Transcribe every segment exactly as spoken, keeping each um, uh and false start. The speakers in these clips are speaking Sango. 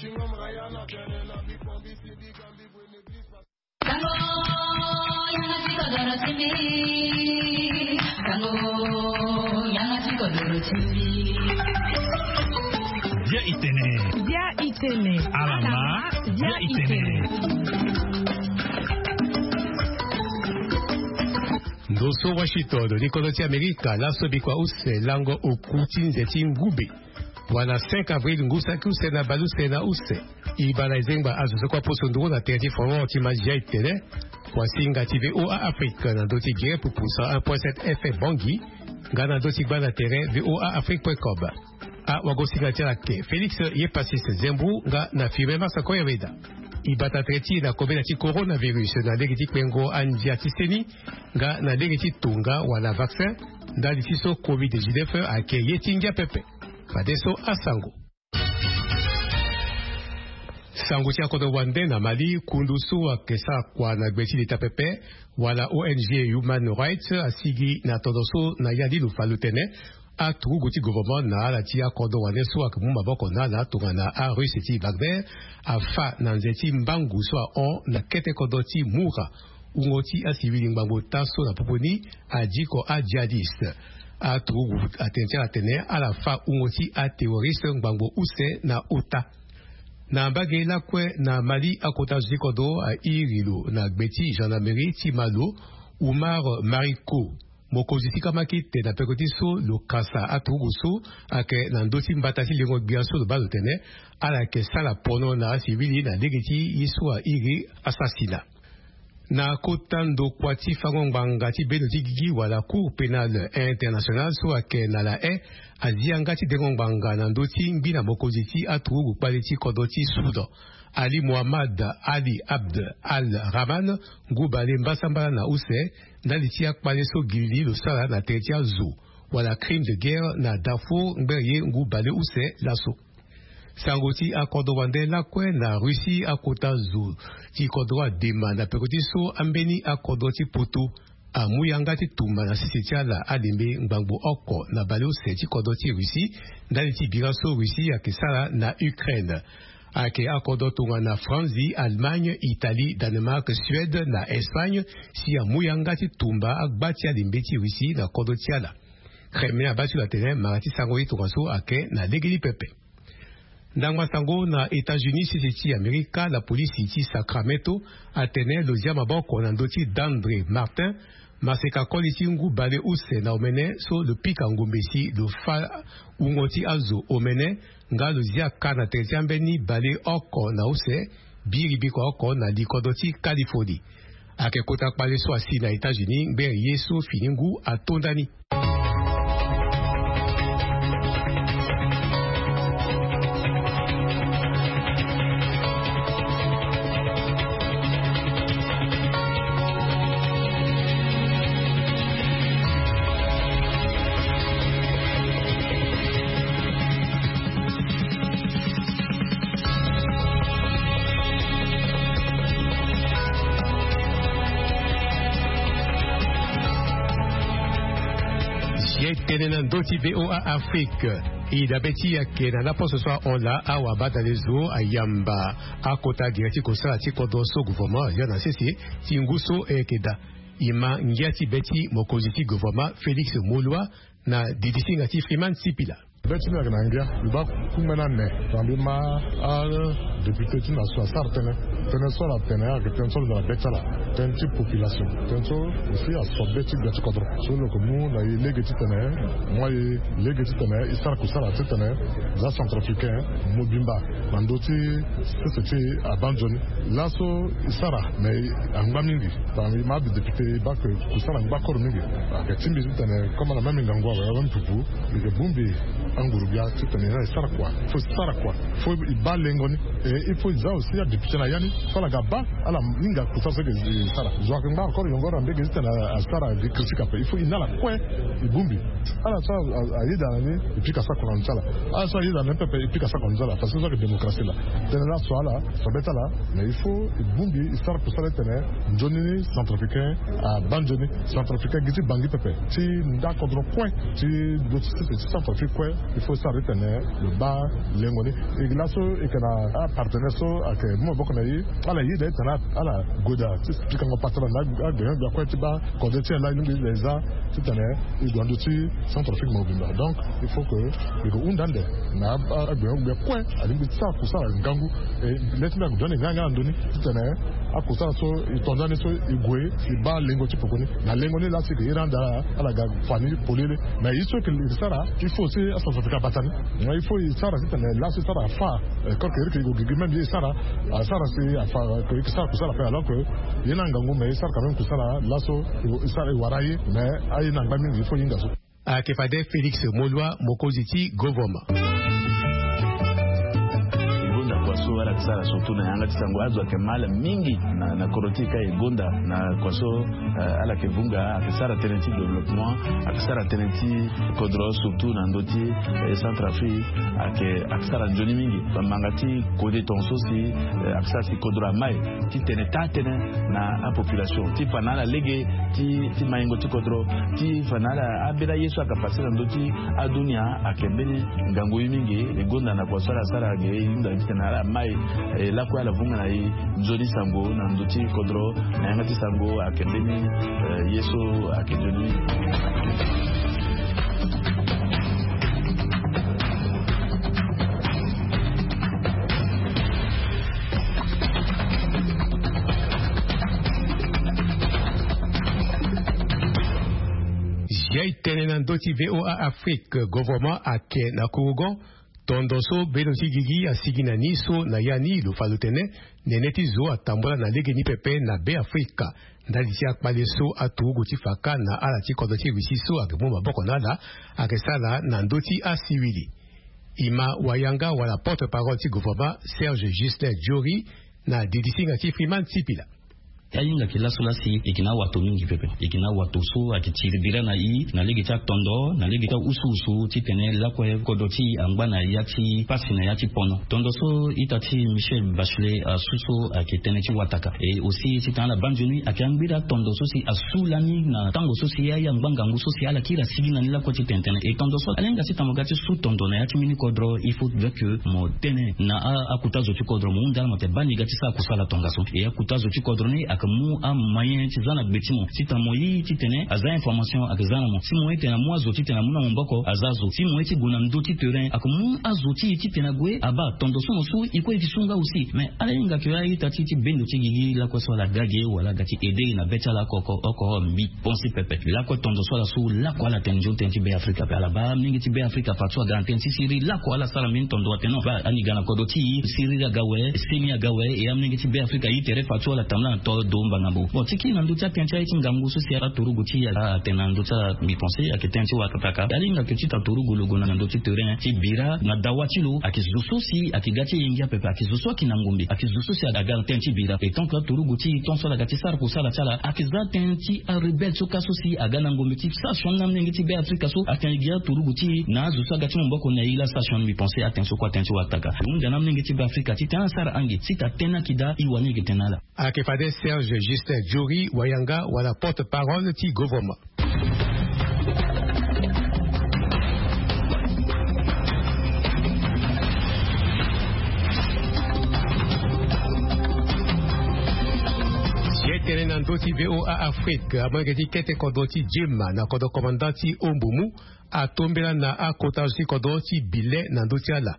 Sango, yanga ti kodoro ti mbi. Sango, yanga ti kodoro ti mbi. Dia itene. Dia itene. Alama, dia itene. Ndo so Washington, ni kodro ti Amerika, laso bikua use lango oku ti nze ti ngumbe. Wala cinq avril ngu saki use na bale use na use. E baa na e zengba azo so kue aposo nduru na tere ti Foro ti Mazia e tene. Wasinga ti VOA Afrique na ndö ti gere pupu cent un point sept F M Bangui, nga na ndö ti gba na tere VOA Afrique point com. Awagosinga ti ala ayeke Félix Yepasis Zembou nga na Firmin Marsa Koyemeda. E bata tere ti e na kobela ti coronavirus na lege ti kpengo andia ti seni nga na lege ti tonga wala vaccin ndali ti so covid dix-neuf ayeke ye ti ngia pepe. Fadeso asango. Sango ti akodro wande na Mali, kundu so ayeke sara kua na gbe ti leta pepe wala O N G Human Rights asigi na tondo so na ya ni lo fa lo tene aturugu ti gouvernement na ala ti akodro wande so ayeke mu maboko na ala tongana arusse ti Wagner afa na nze ti mbangu so ahon na kete kodro ti Moura wungo ti asivili ngbangbo ota so na popo ni adiko ajihadiste. Aturugu atene ti ala tene ala fa wungo ti aterroriste ngbangbo use na ota. Na mbage lakue na Mali, akota zo ti kodro airi lo na gbe ti gendarmerie ti Malo, Oumar Mariko, mokonzi ti kamakite na peko ti so lo kasa aturugu so ayeke na ndö ti mbata ti lengo gbia so lo baa lo tene ala yeke sara pono na asivili na lege ti ye so airi asasina. Na kota ndokua ti fango ngbanga ti bendo ti gigi wala Cour pénale internationale so ayeke na La Haye azi yanga ti dengo ngbanga na ndö ti ngbi na mokonzi ti aturugu kpale ti kodro ti Soudan, Ali Mohammad Ali Abd Al Rahman, ngu bale mbasambala na use, ndali ti akpale so gilili lo sara na tere ti azo wala crime de guerre na Darfour ngbere ye ngu bale use laso. Sango ti akodro wande lakue na Russie, akota zo ti kodro adema na peko ti so ambeni akodro ti poto amu yanga ti tumba na sese ti ala alembe ngbangbo oko na baleuse ti kodro ti Russie ndali ti bira so Russie ayeke sara na Ukraine. Ayeke akodro tongana Franzi, Allemagne, Italie, Danemark, Suède na Espagne si amu yanga ti tumba agba ti alembe ti Russie na kodro ti ala. Kremlin abaa ti lo atene mara ti sango ye tongaso ayeke na lege ni pepe. Ndangba sango na États-Unis, sese ti Amerika, lapolisi ti Sacramento atene lo zia maboko na ndö ti Dandre Martin, maseka koli ti ngu baleuse na omene so lo pika ngombe si lo fâ wungo ti azo omene, nga lo zia ka na tere ti ambeni baleoko na use, biri biko oko na li kodro ti Californie. Ayeke kota kpale so asi na États-Unis ngbere ye so fini ngu atonda ni. Zia e tene na ndö ti VOA Afrique. E dabe ti e ayeke na laposo so ahon laa, awabadale zo ayamba akota gere ti kosala ti kodro so gouvernement azia na sese ti ngu so e yeke daa. E ma ngia ti be ti mokonzi ti gouvernement Félix Moloua na didisinga ti Freeman Sipila. Be ti mbi ayeke na ngia, mbi baa kungbe na ne, tongana mbi ma adéputé ti mbi aso asara tënë. Tënë so ala tene ayeke tënë so lo yeke na be ti ala, tënë ti population, tënë so aussi aso be ti gbia ti kodro. So lo yeke mu na e lege titene moi e lege titene e sara kusala titene za centrafricain mobimba na ndö ti sese ti e abaa nzoni. Laso e sara me angba mingi. Tongana mbi ma abi député, e baa ke kusala angba koro mingi. Ayeke ti mbi titene comme ala ma mbi ngangu awe, awe mbi pupu, mbi yeke bongbi anguru gbia titene e na e sara kua. Fo e sara kua, fo e baa lengo ni. E il faut e za aussi adéputé na ya ni, fo ala ga baa ala hinga kusala so e yeke sara. Zo ayeke ngba encore yongo oro na mbage titene asara gi critique ape. Il faut e na ala kue, e bongbi. Ala so ayeda na ni, e pika sara kua na ndö ti ala. Ala so ayeda na ni pepe, e pika sara kua na ndö ti ala. Parce que so ayeke démocratie laa. Tënë laso ala so be ti ala. Mais il faut e bongbi e sara kusala ti tene nzoni ni centrafricain abaa nzoni. Centrafricain gi ti bangi pepe ti nda kodro kue ti ndö ti sese ti centrafrique kue. Il faut e sara ti tene lo baa lengo ni. E gi laso e yeke na apartenaire so ayeke mu maboko na e. Ala yeda ti tene ala gue daa ti pikango patara na agbenyo-gbia kue ti baa kodro ti e laa e lingbi e za ti tene e gue na ndö ti centrafrique mobimba. Donc il faut que e ke hunda ande na agbenyo-gbia kue alingbi ti sara kusala ngangu. E le ti mbi ayeke duani nga nga na ndö ni ti tene akusala so e to nda ni so e gue e baa lengo ti peko ni. Na lengo ni laa si e ke iri ande ala ga fa ni polele. Mais ye so e ke sara il faut si acentrafrique abata ni. Il faut e sara ti tene laso e sara afa. Corps ke iri ke e gue gigi même ye e sara asara si afa ke e ke sara kusala ape alors que ye ni angangu mais e sara quand même kusala laso e sara e wara aye. Mais aye ni angba mingi il faut e hinga so. Ayeke fade Félix Molua, mokonzi ti govorma. E gonda kua so ala yeke sara surtout na yanga ti sango azo ayeke ma ala mingi na kodro ti e ka e gonda na kua so ala yeke vunga ayeke sara tënë ti développement ayeke sara tënë ti kodro surtout na ndö ti centrafrique. Ayeke ayeke sara nzoni mingi bamanga ti kode tonga so si ayeke sara si kodro amai ti tene taa tënë na apopulation ti fa na ala lege ti maingo ti kodro ti fa na ala ambeni aye so ayeke pase na ndö ti adunia. Ayeke mbeni ngangu ye mingi e gonda na kua so ala sara ge e hunda ti tene ala mai lakue ala vunga na e nzoni sango na ndö ti kodro na yanga ti sango ayeke mbeni ye so ayeke nzoni mingi. Zia e tene na ndö ti VOA Afrique, govorma ayeke na korogon tondo so bendo ti gigi asigi na ni so na ya ni lo fa lo tene nene ti zo atambula na legeni pepe na Beafrika. Ndali ti akpale so aturugu ti fa kâ na ala ti kodro ti Russie so ayeke mu maboko na ala ayeke sara na ndö ti asiwili. E ma wayanga wala porte-parole ti govorma Serge Justin Jory na didisinga ti Freeman Sipila. Ahinga ke laso la si e ke na awato mingi pepe. E ke na awato so ayeke tiri bira na e na lege ti atondo na lege ti awusuwusu titene lakue kodro ti e angba na ya ti pasi na ya ti pono. Tondo so ita ti Michel Bachelet asu so ayeke tënë ti wataka e aussi titene ala baa nzoni ayeke angbiri atondo so si asu lani na tango so si aye angba ngangu so si ala kiri asigi na ni lakue ti tene tënë. E tondo so ala hinga titene mo ga ti su tondo na ya ti mbeni kodro il faut que mo tene na akota zo ti kodro mo hunda ala mo tene baa ni ga ti sara kusala tongaso. E akota zo ti kodro ni ayeke mu amoyen ti za na gbe ti mo titene mo ye titene aza information ayeke za na mo si mo ye titene amu azo titene amu na mo maboko aza zo si mo ye ti gue na ndö ti terrain ayeke mu azo ti e titene ague abaa tondo so mo su e kue e ke su nga aussi. Mais ala hinga ke a-ita ti ti bendo ti gigi lakue so ala ga ge wala aga ti aide e na be ti ala oko oko oko mbi pense pepe lakue tondo so ala su lakue ala tene nzoni tënë ti Beafrika ape ala baa amolenge ti Beafrika fadeso aga na tënë ti Syrie lakue ala sara mbeni tondo atene non baa ani ga na kodro ti e Syrie aga awe seni aga awe e amolenge ti Beafrika aye tere fadeso ala tambula na to do ngbanga mo bon ti kiri na ndö ti atënë ti aye ti ngangu so si aturugu ti e atene na ndö ti ala mbi pense ayeke tënë ti wataka. Ala hinga ke titene aturugu lo gue na ndö ti terrain ti bira na dawa ti lo ayeke zo so si ayeke ga ti yengia pepe ayeke zo so ayeke na ngombe ayeke zo so si aga na tënë ti bira e tant que aturugu ti e tant so ala ga ti sara kusala ti ala ayeke za tënë ti arebelle so ka so si aga na ngombe ti sara sioni na amolenge ti Beafrika so atene gi aturugu ti e na azo so aga ti maboko na e la sara sioni mbi pense atënë so kue atënë ti wataka. Hunda na amolenge ti Beafrika titene ala sara ange si ta tënë ayeke daa e wani e yeke tene na ala. Ayeke fade Serge Justin Jory wayanga wala porte-parole ti govorma. Si e tene na ndö ti VOA Afrique amolenge ti kete kodro ti Djema na kodro komanda ti Ombumu atombela na akota zo ti kodro ti Bile na ndö ti ala.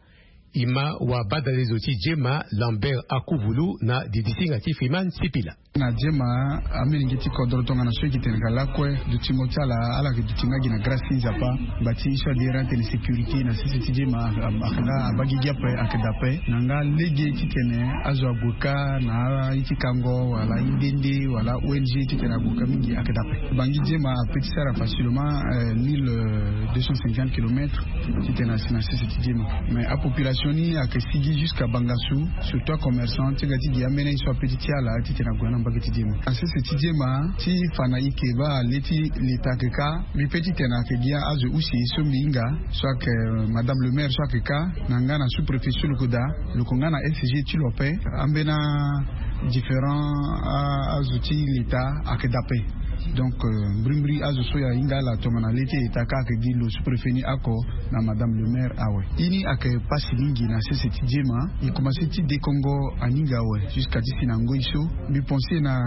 E ma wabadalezo ti Djema Lambert Akuvulu na didisinga ti Freeman Sipila. Na Djema amolenge ti kodro tongana so e yeke tene ka lakue dutingo ti ala ala yeke duti nga gi na grâce ti Nzapa. Ngba ti e so ade iri atene sécurité na sese ti Djema ayeke nga abaa gigi ape ayeke daa ape na nga lege titene azo ague kâ na aye ti kango wala aye nde nde wala aONG titene ague kâ mingi ayeke daa ape. Bangi Djema ape ti sara facilement mille deux cent cinquante kilomètres titene asi na sese ti Djema. Mais apopulation Ni ayeke sigi jusqu'à bangasu, surtout acommerçant ti ga ti gi ambeni aye so ape ti ti ala titene ague na mbage ti diema na sese ti diema ti fa na ike baa le ti leta ayeke ka. Mbi pe titene ayeke gi azo use ye so mbi hinga, so ayeke madame le maire so ayeke ka, na nga na sous-préfet so lo yeke daa, lo yeke nga na sg ti lo ape. Ambeni différent azo ti leta ayeke daa ape. Donc mbrimbri azo so ya hinga ala tongana le ti leta ka ayeke gi lo sous-préfet ni oko na madame le maire awe. Ye ni ayeke pasi mingi na sese ti diema. E komanse ti dekongo aninga awe jusqu'à ti si na ngoi so. Mbi pense na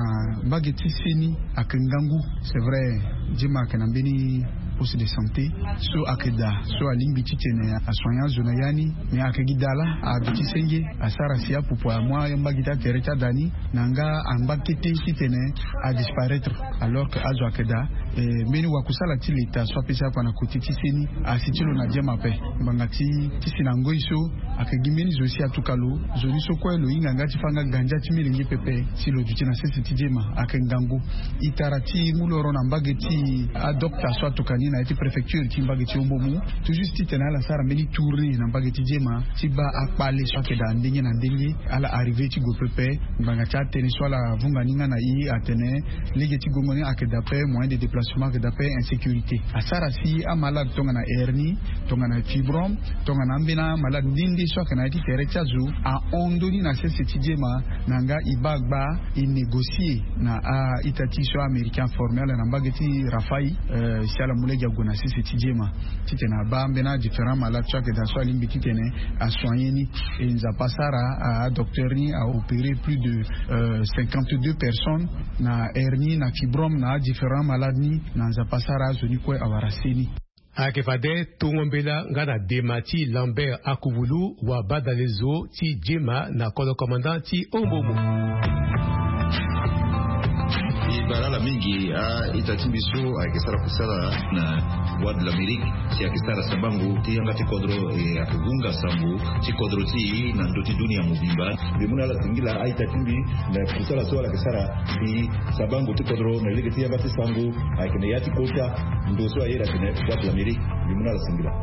mbage ti seni ayeke ngangu. C'est vrai, diema ayeke na mbeni poste de santé so ayeke daa, so alingbi titene asoigne azo na ya ni. Mais ayeke gi daa laa, adu ti senge, asara si apupu amu mbage ti atere ti ada ni, na nga angba kete titene adisparaître. Alors que azo ayeke daa. E mbeni wakusala ti leta so apesi akua na kote ti seni asi ti lo na diema ape. Ngbanga ti ti si na ngoi so ayeke gi mbeni zo si atuka lo. Zo ni so kue lo hinga nga ti fa nga gandia ti milenge pepe. Si lo duti na sese ti diema ayeke ngangu. Itara ti mu loro na mbage ti adokta so atuka ni na ya ti préfecture ti mbage ti ombomu, tout juste titene ala sara mbeni tourner na mbage ti diema ti baa akpale so ayeke daa ndenge na ndenge. Ala arriver ti gue pepe. Ngbanga ti atënë so ala vunga ni nga na e atene lege ti gongo ni ayeke daa ape, moyen de déplacement ayeke daa ape, insécurité asara si amalade tongana hernie, tongana fibrome, tongana ambeni amalade nde nde so ayeke na ya ti tere ti azo ahon ndoni na sese ti diema. Na nga e baa gba e négocier na a-ita ti e so américain aforme ala na mbage ti Rafaï, si ala mu lege ague na sese ti diema titene abaa ambeni adifférent malade so ayeke daa so alingbi titene asoigne ni. E nzapa asara, adocteur ni aopérer plus de cinquante-deux personnes na hernie, na fibrome, na adifférent malade ni. Na nzapa asara azo ni kue awara se ni. Ayeke fade tongo mbela nga na dema ti Lambert Akuvulu, wa badalezo ti diema na kodro commandant ti Ombomo. E bale ala mingi a-ita ti mbi so ayeke sara kusala na Voix de l'Amérique, si ayeke sara sabango ti yanga ti kodro, e ayeke gunga sango ti kodro ti e na ndö ti dunia mobimba. Mbi mu na ala singila a-ita ti mbi na kusala so ala yeke sara si sabango ti kodro na lege ti yanga ti sango ayeke na ya ti kota ndo so aye atene Voix de l'Amérique. Mbi mu na ala singila.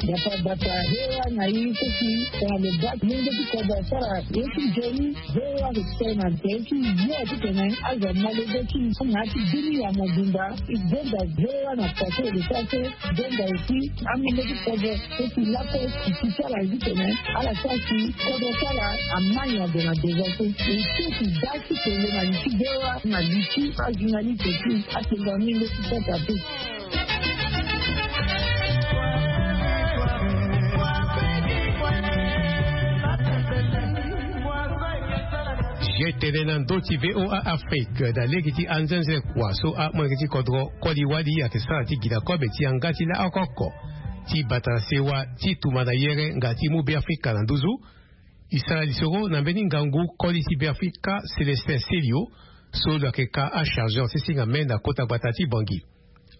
Bata bata hewa na i so si tongana lo baa lenge ti kodro asara ye ti nzoni. Hewa ayeke tene na nze ti yo titene azo amolenge ti na ya ti dunia mobimba. E gonda hewa na paso e lo sara so. Donga aussi amolenge ti kodro so si lape si ti sara titene ala sara si kodro ti ala amai na gue na deza so. E so si da ti tene na li ti hewa na li ti ajournaliste ti atenga mingi ti sota pe. Ye tene na ndö ti VOA Afrique na lege ti anzenze kua so amolenge ti kodro koli wali ayeke sara ti gi na kobe ti yanga ti laoko oko ti bata na sewa ti tuma na yere nga ti mu Beafrika na nduzu. E sara lisoro na mbeni ngangu koli ti Beafrika Célestin Celio so lo yeke ka achargeur ti singa me na kota gbata ti Bangui.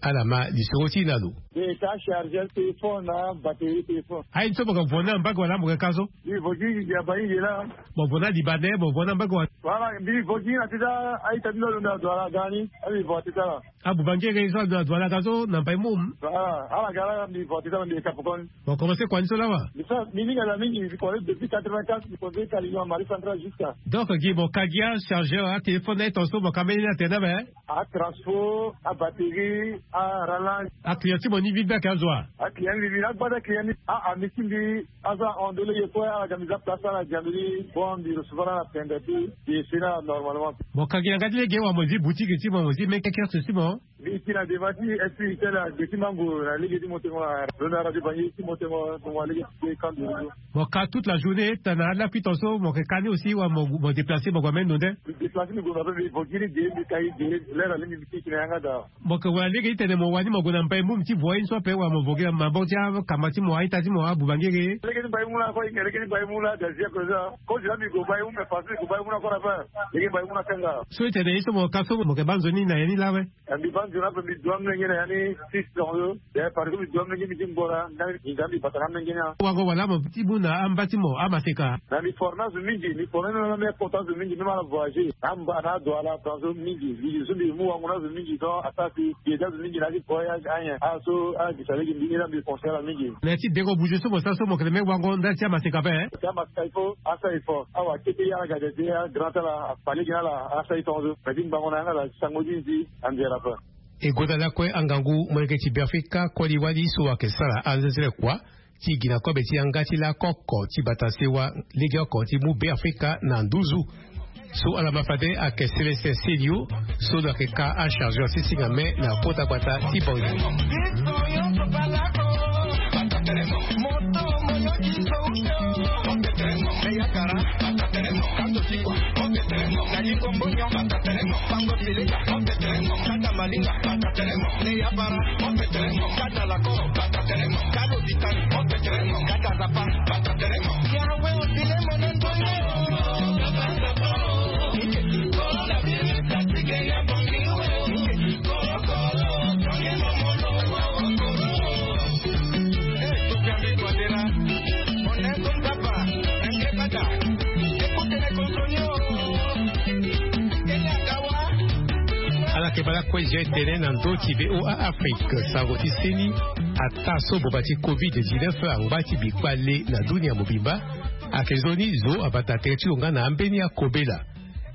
Ala ma lisoro ti na lo. Mbi yeke ka chargeur téléphone na batterie téléphone. Aye ni so mo yeke vo ni na mbage wala mo yeke ka so? Mbi vo gi gi abayi gi laa. Mo vo ni na Libanais, mo vo ni na mbage wala? Voilà, mbi vo gi na tita. A-ita ti lo alondo na Douala aga ni. Mbi vo na tita laa. Abubangere so alondo na Douala aga so na Mbaye Mum. Voilà, ala ga laa mbi vo na tita laa, mbi yeke ka pokoni. Mo commencer kua ni so laa wa? Mbi so mbi hinga laa mingi, mbi commencer depuis quatre-vingt-quatre, mbi commencer ka lingbi na Marie Centrale jusqu'à. Donc gi mo ka gi achargeur atéléphone na e tongaso mo ka mbeni ni atene na me? Atransport, abatterie, arallonge. Aclient ti mo ni mbi mbi ayeke azo wa? Aclient mbi mbi na agba ti aclient ni. A, ami ti mbi azo ahon ndo lege kue, ala ga mbi za place, ala ga mbi ni bon, mbi recevoir ala pendere ti mbi si na normalement. Mo ka gi na yanga ti lege wa mo zi boutique ti mo, mo zi main kiosque ti mo? Mbi ti na devant ti esprit ti ala, gbe ti mango na lege ti motengo na lo na radio Bangui ti motengo, tongo na lege ti kando. Mo ka toute la journée tana alakui tongaso, mo yeke ka ni aussi wa mo déplacer mo gue na mbeni ndo nde? Mbi déplacer mbi gue na mbeni ndo, mbi vo gi ni ge, mbi ka ye ge, l'heure alingbi mbi ti na yanga daa. Mo yeke wara lege titene mo wani mo gue na Mbaye Mum ti vo ye ni so ape wa mo vo gi na maboko ti akamba ti mo, a-ita ti mo, abubangere? Lege ti Mbaye Mum laa, kue e hinga lege ti Mbaye Mum laa, da zia kozo. Kozo laa mbi gue Mbaye Mum, mais parce que mbi gue Mbaye Mum laa kue na baa lege ti Mbaye Mum laa kanga. So itene ye so mo ka so mo yeke baa nzoni na ye ni laa awe? Mbi baa Journal pe mbi dua mlenge na yani six ans. D'ailleurs parce que mbi dua mlenge mbi ti ngbora ndani mbi bata na mlenge ni. Wango wala mo ti mu na amba ti mo amaseka. Na mbi forme azo mingi, mbi forme na mbi kota azo mingi, mbi ma na voyager na mba na adua la tanzo mingi. Mbi zo mbi mu wango na azo mingi, donc asara si mbi ede azo mingi na ati voyage ayen aso. Agisa lege mbi ni na mbi conseil ala mingi. Na ti dengo buju so mo sara so mo kele me wango ndani ti amaseka pe. Ti amaseka il faut asara effort. Awa kete ya ala gade te ya grand ala. Fallait que ala asara tonzo mais ti ngbanga na yanga ala sango ti nzi. Anzera pe. E goda lakue angangu molenge ti Beafrika koli wali so ayeke sara anzenzele kua ti gi na kobe ti yanga ti lako oko ti bata sewa legeoko ti mu Beafrika na nduzu. So ala ma fade ayeke Célestin Celio so lo yeke ka achargeur ti singa me na kota gbata ti Bangi. Ala yeke baa lakue zia tene na ndö ti VOA Afrique sango ti seni. Ataa so boma ti covid dix-neuf angba ti bikpale na dunia mobimba, ayeke nzoni zo abata tere ti lo nga na ambeni akobela.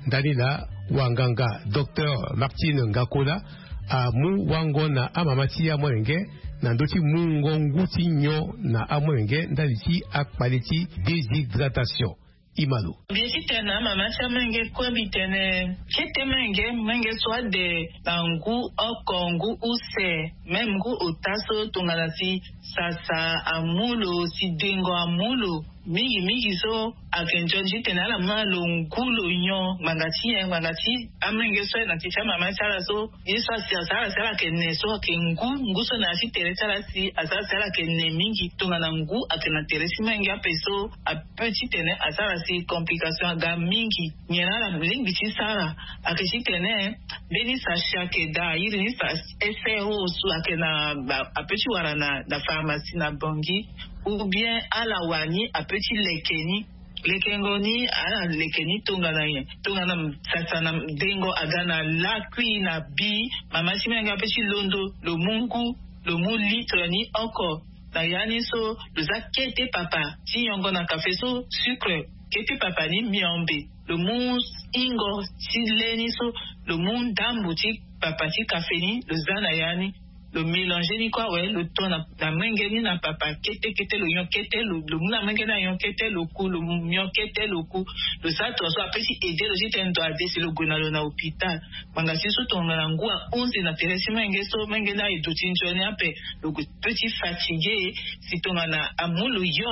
Ndani laa wanganga Docteur Martine Ngakola amu wango na amama ti amolenge na ndö ti mungo ngu ti nyon na amolenge ndali ti akpale ti déshydratation. Imalo. Mbi ye ti tene na amama ti amolenge kue mbi tene kete menge menge so ade na ngu oko ngu use même ngu ota so tongana si sasa amu lo si dengo amu lo mingi mingi so ayeke nzoni ti tene ala mu na lo ngu lo nyon ngbanga ti nyen ngbanga ti amenge so aye na ti ti amama ti ala so ye so asi asara si ala yeke ne so ayeke ngu ngu so na ya ti tere ti ala si asara si ala yeke ne mingi tongana ngu ayeke na tere ti menge ape so ape ti tene asara si complication aga mingi. Nyen na ala lingbi ti sara ayeke ti tene mbeni sachet ayeke daa iri ni sachet sro so ayeke na ape ti wara na pharmacie na Bangui ou bien ala wani ape ti leke ni. Lekengo ni ala leke ni tongana nyen? Tongana sasa na dengo aga na lakui na bi mama ti menge ape ti londo lo mu ngu lo mu litre ni oko. Na ya ni so lo za kete papa ti nyongo na kafe so sucre kete papa ni miombe lo mu ingo ti le ni so lo mu ndambo ti papa ti kafe ni lo za na ya ni. Lo mélanger ni kue awe lo to na menge ni na papa kete kete lo nyon kete lo mu na menge ni anyon kete lo ku lo nyon kete lo ku. Lo sara tongaso ape ti aider lo ti tene ndo ade si lo gue na lo na hôpital. Ngbanga ti so tongana ngu ahunzi na tere ti menge so menge ni aye duti nzoni ape lo gue pe ti fatigué. Si tongana amu lo yo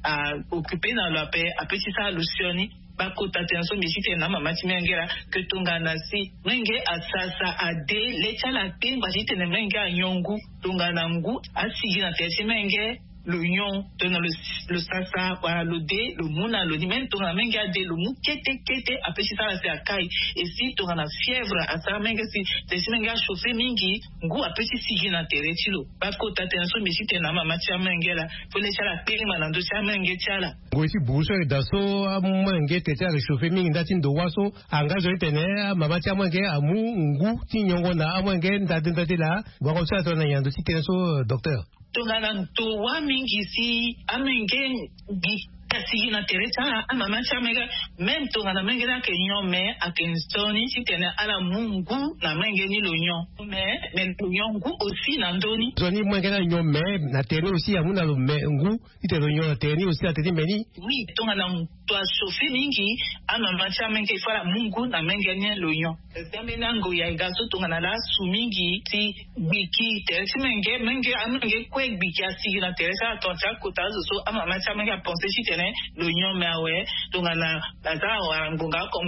a occupé na lo ape ape ti sara lo sioni. Bakota tënë so mbi ye ti tene na amama ti menge laa ke tongana si menge asasa ade le ti ala akpengba ti tene menge anyon ngu. Tongana ngu asigi na tere ti menge lo nyon tongana lo sasa wala lo de lo mu na lo ni même tongana menge ade lo mu kete kete ape ti sara si akai. E si tongana fièvre asara menge si tere ti menge achauffer mingi ngu ape ti sigi na tere ti lo. Bakota tënë so mbi ye ti tene na amama ti amenge laa fo le ti ala akpengba na ndö ti amenge ti ala. Ngoi ti buru so ayeke daa so amolenge tete arechauffe mingi nda ti ndo wâ so. Anga zo ti tene amama ti amolenge amu ngu ti nyongo na amolenge ndade ndade laa. Wango so atongana na nyando ti tene so docteur. Tongana ndo wâ mingi si amolenge gi asigi na tere ti ala amama ti amolenge même tongana molenge ni ayeke nyon me ayeke nzoni ti tene ala mu ngu na molenge ni lo nyon. Me me lo nyon ngu aussi na ndö ni. Nzoni molenge ni anyon me na tere ni aussi amu na lo me ngu. Ti tene lo nyon na tere ni aussi na tere ti me ni. Oui tongana ndo achauffe mingi amama ti amenge il faut ala mu ngu na menge ni lo nyon. Parce que ambeni angoi aye ga so tongana laa asu mingi si gbiki tere ti menge menge amenge kue gbiki asigi na tere ti ala tongana ti akota azo so amama ti amenge apense ti tene lo nyon me awe. Tongana aza awara ngonga oko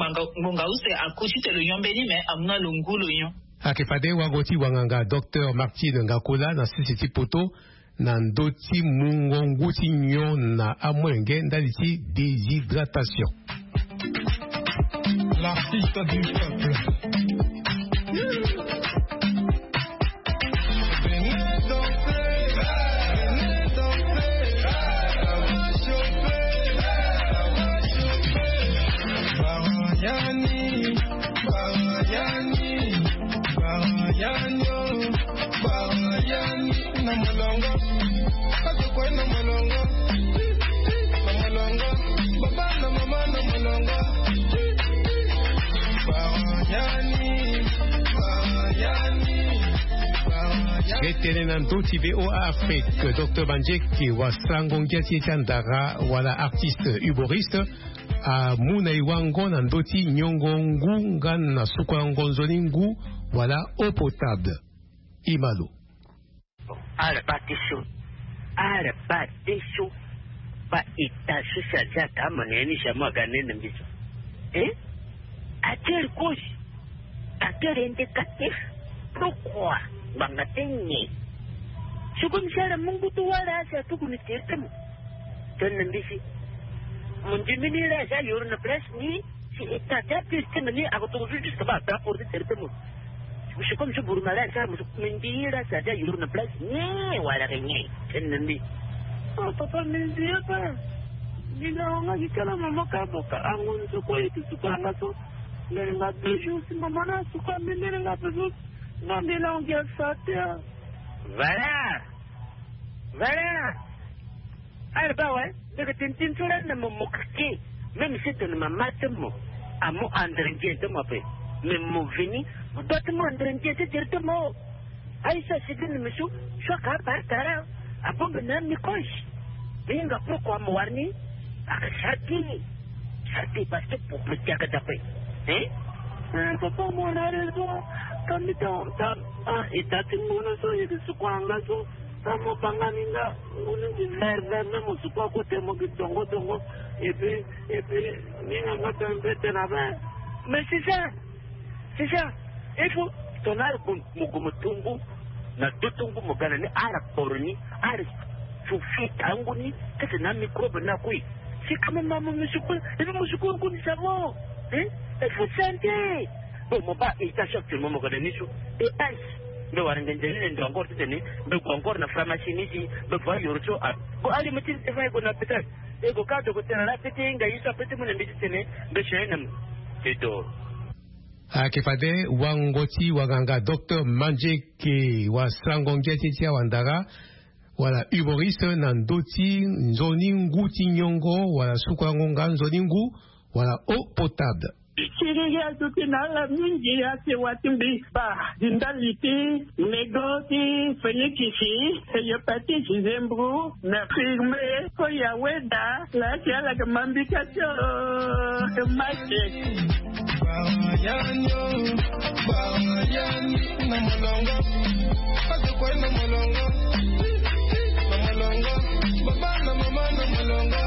ngonga use aku ti tene lo nyon mbeni me amu na lo ngu lo nyon. Ayeke fade wango ti wanganga docteur Martine Ngakola na sese ti poto na ndö ti mungo ngu ti nyon na amolenge ndali ti déshydratation. L'artiste du peuple. Getene na ndoti V O A Afrique, Docteur Banjeke wa sango ngia ti eti andara wala artiste humoriste amu na e wango na ndoti nyongo ngu nga na sukuango nzoni ngu wala eau potable. Imalo. Ala ba te so. Ala ba te so. Ba ita so si aza ka ama na ya ni si amu aga nene mbi so. Eh? Atiere kozi. Atiere indicatif. Pourquoi? Ngbanga ti nyen? Si komi si ala mu ngu ti wala asi atuku ni tere ti mo. Tene na mbi si. Mo ndimi ni la asi ayoro na place ni. Si ita ti apiste meni ako toko so juste ba abe apporte tere ti mo. Si comme so buru mara sa mo so meni la sa dia yoro na place ni wala ke ni. Sen na mbi. Oh papa, meni ya pa. Ni na nga ki kala mama ka boka ango so ko iti suka nga so. Meni nga deux jours si mama na suka meni nga pe so. Nga meni la on ki sa te. Voilà. Voilà. Ala ba we, daga tintin so la na mo mo kake. Même si tene mama ti mo amu andre ndien ti mo ape, mais mo vini mo doit ti mo andre ndien ti dire ti mo. Ayi so asi bini mi so, so aka abar tara. Abombe na mi kozi. Mbi hinga pourquoi mo wara ni. Aka sarti. Sarti parce que pour me diaka dape. Hein? Papa, mo na raison. Kami ta ta. Ah, e ta ti mo na so e ti suku anga so. Sa mo banga ni nga, mo ni ti vert vert, même mo suku akote mo gi dongo dongo. Et puis, et puis, ni nga nga tene pe tene abe. Mais c'est ça, c'est ça. Il faut tongana ala gue mo gue mo tungu na do tungu mo ga na ni ala kporo ni, ala fufi tangu ni, kete na microbe na kui. C'est quand même ma mo musuku, et puis musuku ngu ni savon. Hein? Il faut santé. Bon, mo ba e ta shop ti mo mo ga na ni so. E ice. Mbe wara nge nzeli ne ndo encore ti tene. Mbe gue encore na pharmacie ni si. Mbe va yoro so a. Bon, ali mo ti te va e gue na hôpital. E gue ka docteur la pete nga isa pete mo na mbi ti tene. Mbe chene na mo. Te do. Ayeke fade wango ti wanganga docteur Mandieke wa sango ngia ti ti awandara wala humoriste na ndö ti nzoni ngu ti nyongo wala sukuango nga nzoni ngu wala eau potable. Siriri azo ti na ala mingi ase wa ti mbi ba di ndali ti nego ti fenikisi. Eyo pati zizembru na firme. Oyo aweda. Laa si ala yeke ma mbi ka ti o. Make. Bara ya ni o. Bara ya ni na molongo. Azo kue na molongo. Na molongo. Baba na mama na molongo.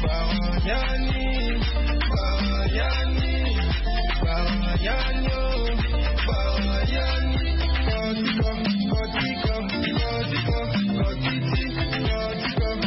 Bara ya ni. Bara ya ni. Bara ya ni o. Bara ya ni. Kotiko, kotiko, kotiko, kotiti, kotiko.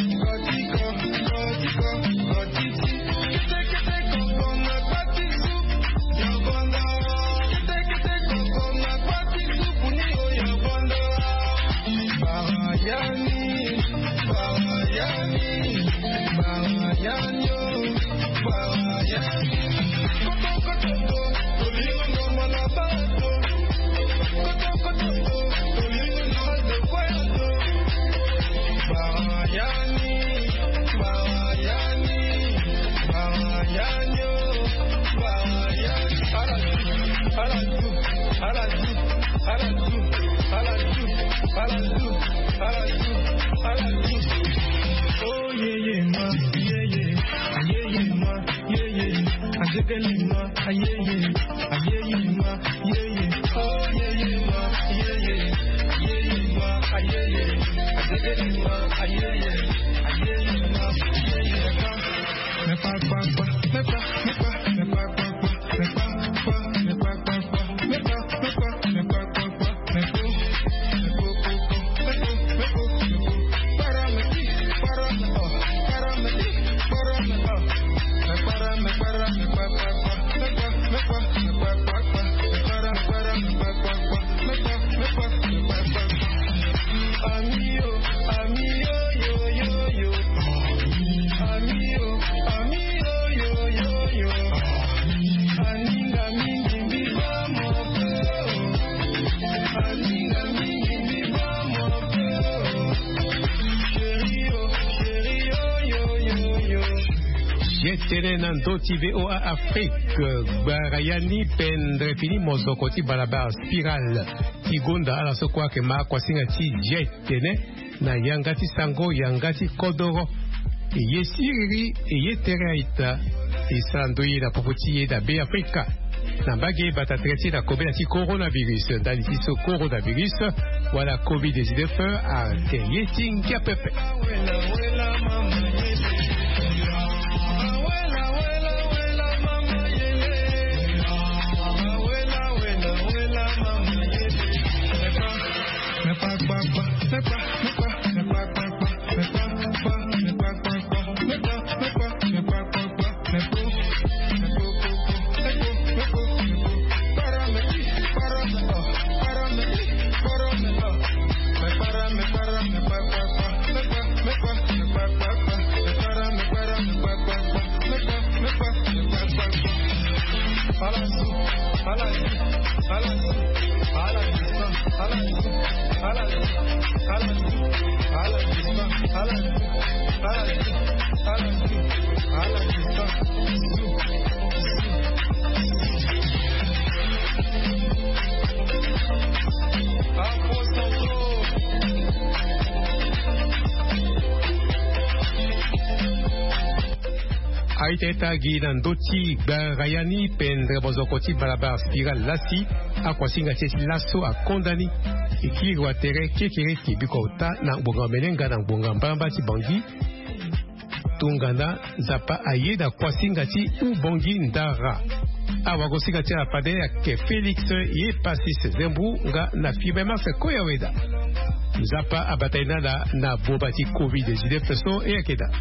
Tene na ndö ti VOA Afrique, gbara ya ni pendere fini mozoko ti balabala spirale ti gonda ala so kue ayeke ma akuasinga ti jet tene na yanga ti sango, yanga ti kodoro. E ye siriri, e ye tere aita. E sara ndoye na popo ti e na Be Afrika. Na mbage bata tere ti e na kobela ti coronavirus, ndali ti so coronavirus wala covid dix-neuf ayeke ye ti ngia pepe. Aita ita gi na ndö ti gbara ya ni pendere mozoko ti balabala spirale lasi, akuasinga ti e ti laso akonda ni. E kiri wa tere kekereke biko ota na ngbonga menenga na ngbonga mbalamba ti Bangui. Tongana Nzapa aye na kuasinga ti Ubangui ndara. Awagosinga ti ala fade ayeke Félix Yepasis Zembou nga na Fibe Marse Koyaweda. Nzapa abata e na ala na boba ti covid dix-neuf so e yeke daa.